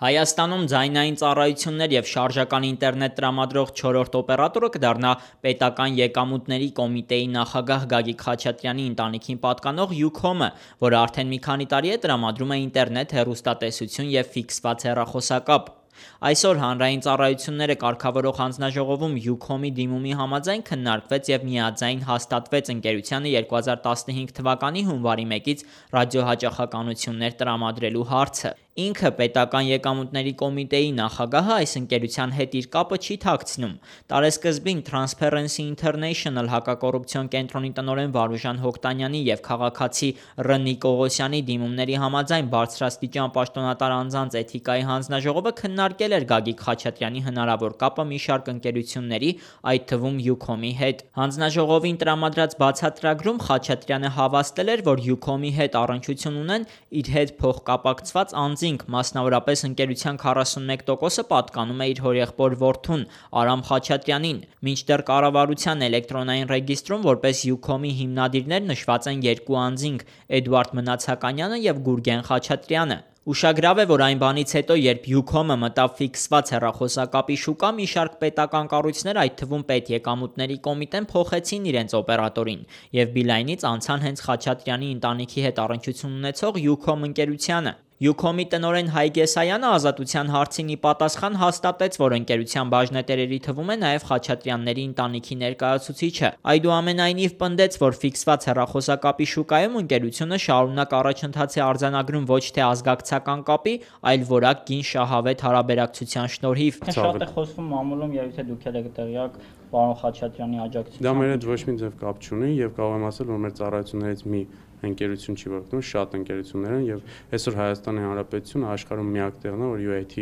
Հայաստանում ձայնային ծառայություններ և շարժական ինտերնետ տրամադրող 4-րդ օպերատորը կդառնա Պետական եկամուտների կոմիտեի նախագահ Գագիկ Խաչատրյանի ընտանիքին պատկանող Յուքոմը, որը արդեն մի քանի տարի է տրամադրում է ինտերնետ, հեռուստատեսություն և ֆիքսված հեռախոսակապ։ Այսօր Հանրային ծառայությունները կարգավորող հանձնաժողովում Յուքոմի դիմումի համաձայն քննարկվեց և միաձայն հաստատվեց ընկերությանը 2015 թվականի հունվարի 1-ից ռադիոհաճախականություններ տրամադրելու հարցը։ Ինքը Պետական եկամուտների կոմիտեի նախագահը այս ընկերության հետ իր կապը չի թաքցնում։ Տարեսկզբին Transparency International հակակոռուպցիոն կենտրոնի տնօրեն Վարուժան Հոկտանյանի և քաղաքացի Ռ. Նիկողոսյանի դիմումների համաձայն բարձրաստիճան պաշտոնատար անձանց էթիկայի հանձնաժողովը քննարկել էր Գագիկ Խաչատրյանի հնարավոր կապը մի շարք ընկերությունների, այդ թվում Յուքոմի հետ։ Հանձնաժողովին տրամադրած բացատրագրում Խաչատրյանը հավաստել էր, որ Յուքոմի հետ առնչություն ունեն իր հետ փոխկապակցված անձինք, մասնավորապես ընկերության 41%-ը պատկանում է իր հորեղբոր որդուն Արամ Խաչատրյանին, մինչդեռ կառավարության էլեկտրոնային ռեգիստրում որպես Յուքոմի հիմնադիրներ նշված են երկու անձինք՝ Էդուարդ Մնացականյանը և Գուրգեն Խաչատրյանը։ Ուշագրավ է, որ այն բանից հետո, երբ Յուքոմը մտավ ֆիքսված հեռախոսակապի շուկա, մի շարք պետական կառույցներ, այդ թվում Պետեկամուտների կոմիտեն, փոխեցին իրենց օպերատորին և Բիլայնից անցան հենց Խաչատրյանի ընտանիքի հետ առնչություն ունեցող Յուքոմ ընկերությանը։ Յուքոմի տնօրեն Հայ Գեսայանը Ազատության հարցին ի պատասխան հաստատեց, որ ընկերության բաժնետերերի թվում է նաև Խաչատրյանների ընտանիքի ներկայացուցիչը։ Այդուամենայնիվ պնդեց, որ ֆիքսված հեռախոսակապի շուկայում ընկերությունը շարունակ առաջընթաց է արձանագրում ոչ թե ազգակցական կապի, այլ որակ կին շահավետ հարաբերակցության շնորհիվ։ Շատ է խոսվում մամուլում, եւ եթե դուք եք տեղյակ, պարոն Խաչատրյանի աջակցությամբ։ Դա մեր հետ ոչ մի ձև կապ չունի եւ կարող եմ ասել, որ մեր ծառայություններից մի ընկերություն չի որոշում, շատ ընկերություններ են եւ այսօր Հայաստանի Հանրապետությունը աշխարհում միակ տեղն է, որ UAT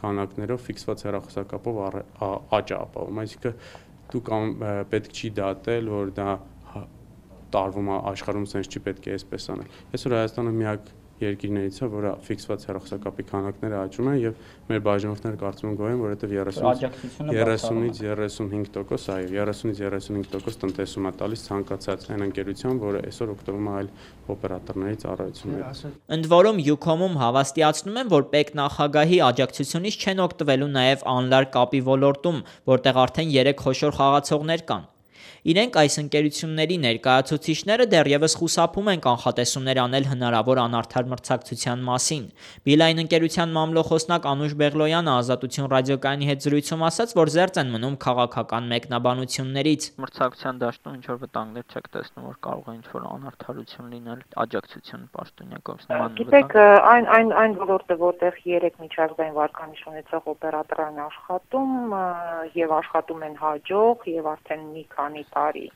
քանակներով ֆիքսված հեռախոսակապով աճ է ապահովում, այսինքն դուք պետք չի դատել, որ դա տարվում է աշխարհում, sense չի պետք է այսպես անել։ Այսօր Հայաստանը միակ երկիրներից է, որը ֆիքսված հեռախոսակապի քանակները աճում են եւ մեր բաժանորդները կարծում են գոհ են, որովհետեւ 30-ից 35%, այո, 30-ից 35% տնտեսում է տալիս ցանկացած այն ընկերության, որը այսօր օգտվում է այլ օպերատորների ծառայություններից։ Ընդ որում Յուքոմում հավաստիացնում են, որ ՊԵԿ նախագահի աջակցությունից չեն օգտվելու նաև անլար կապի ոլորտում, որտեղ արդեն 3 խոշոր խաղացողներ կան։ Իրենք այս ընկերությունների ներկայացուցիչները դեռևս խուսափում են կանխատեսումներ անել հնարավոր անարդար մրցակցության մասին։ Բիլայն ընկերության մամլոխոսնակ Անուշ Բեղլոյանը Ազատություն ռադիոկայանի հետ զրույցում ասաց, որ զերծ են մնում քաղաքական մեկնաբանություններից։ Մրցակցության դաշտում ինչ-որ վտանգներ չեք տեսնում, որ կարող է ինչ-որ անարդարություն լինել աջակցություն պաշտոնյակով նման։ Գիտեք, այն ոլորտը, որտեղ 3 միջազգային վարկանիշ ունեցող օպերատորներ աշխատում եւ աշխատում են հաջող եւ արդեն մի քանի տարի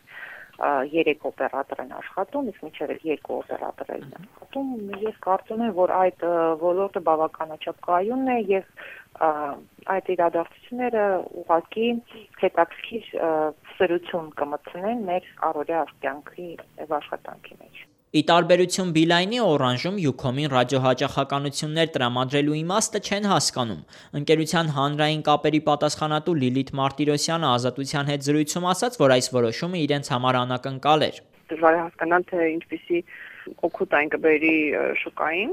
3 օպերատոր են աշխատում, իսկ մինչև 2 օպերատոր են աշխատում, ես կարծում եմ, որ այդ ոլորտը բավականաչափ կայուն է եւ այդ իրադարձությունները ուղղակի հետաքրքիր սրություն կմտցնեն մեր առօրյա կյանքի եւ աշխատանքի մեջ։ Ի տարբերություն Բիլայնի, Օրանժում Յուքոմին ռադիոհաճախականություններ տրամադրելու իմաստը չեն հասկանում։ Ընկերության հանրային կապերի պատասխանատու Լիլիթ Մարտիրոսյանը Ազատության հետ զրույցում ասաց, որ այս որոշումը իրենց համար անակնկալ էր։ Դժվար է հասկանալ, թե ինչպիսի օգուտ այն կբերի շուկային,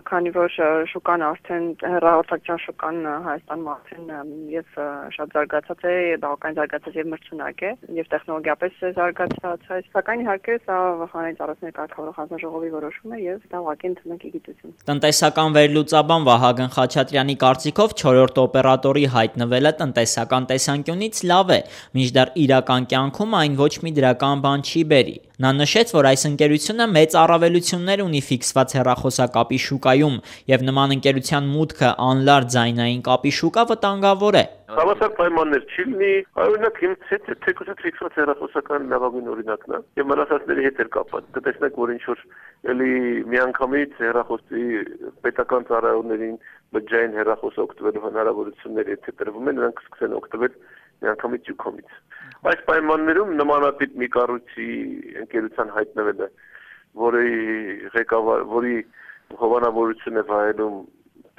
քանի որ շուկան արդեն հեռահաղորդակցության շուկան Հայաստանում արդեն եւ շատ զարգացած է, բավական զարգացած եւ մրցունակ է եւ տեխնոլոգիապես զարգացած է, սակայն իհարկե սա հանրային ծառայությունների կարգավորող հանձնաժողովի որոշում է եւ դա ուղղակի ընդունեք գիտություն։ Տնտեսական վերլուծաբան Վահագն Խաչատրյանի կարծիքով 4-րդ օպերատորի հայտնվելը տնտեսական տեսանկյունից լավ է, մինչդեռ իրական կյանքում այն ոչ մի դրական բան չի բերի։ Նա նշեց, որ այս ընկերությունը մեծ առավելություններ ունի ֆիքսված հեռախոսակապի շուկայում եւ նման ընկերության մուտքը անլար ձայնային կապի շուկա վտանգավոր է։ Հավասար պայմաններ չի լինի, օրինակ թեկուզ ֆիքսված հեռախոսական լավագույն օրինակն է եւ մնացածների հետ էլ կապված։ Կտեսնեք, որ ինչ որ էլի միանգամից հեռախոսի պետական ծառայություններին բջջային հեռախոս օգտվելու հնարավորություններ եթե տրվում են, նրանք սկսեն օգտվել միանգամից Յուքոմից։ Այս պայմաններում նմանատիպ մի կառույցի ընկերության հայտնվելը, որի հովանավորություն է վայելում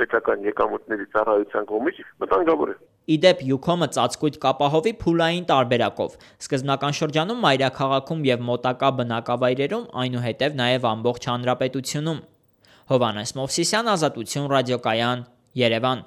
պետական եկամուտների ծառայության կողմից, վտանգավոր է։ Իդեպ Յուքոմը ծածկույթ կապահովի փուլային տարբերակով։ Սկզբնական շրջանում մայրաքաղաքում եւ մոտակա բնակավայրերում, այնուհետև նաեւ ամբողջ հանրապետությունում։ Հովհաննես Մովսիսյան, Ազատություն ռադիոկայան, Երևան։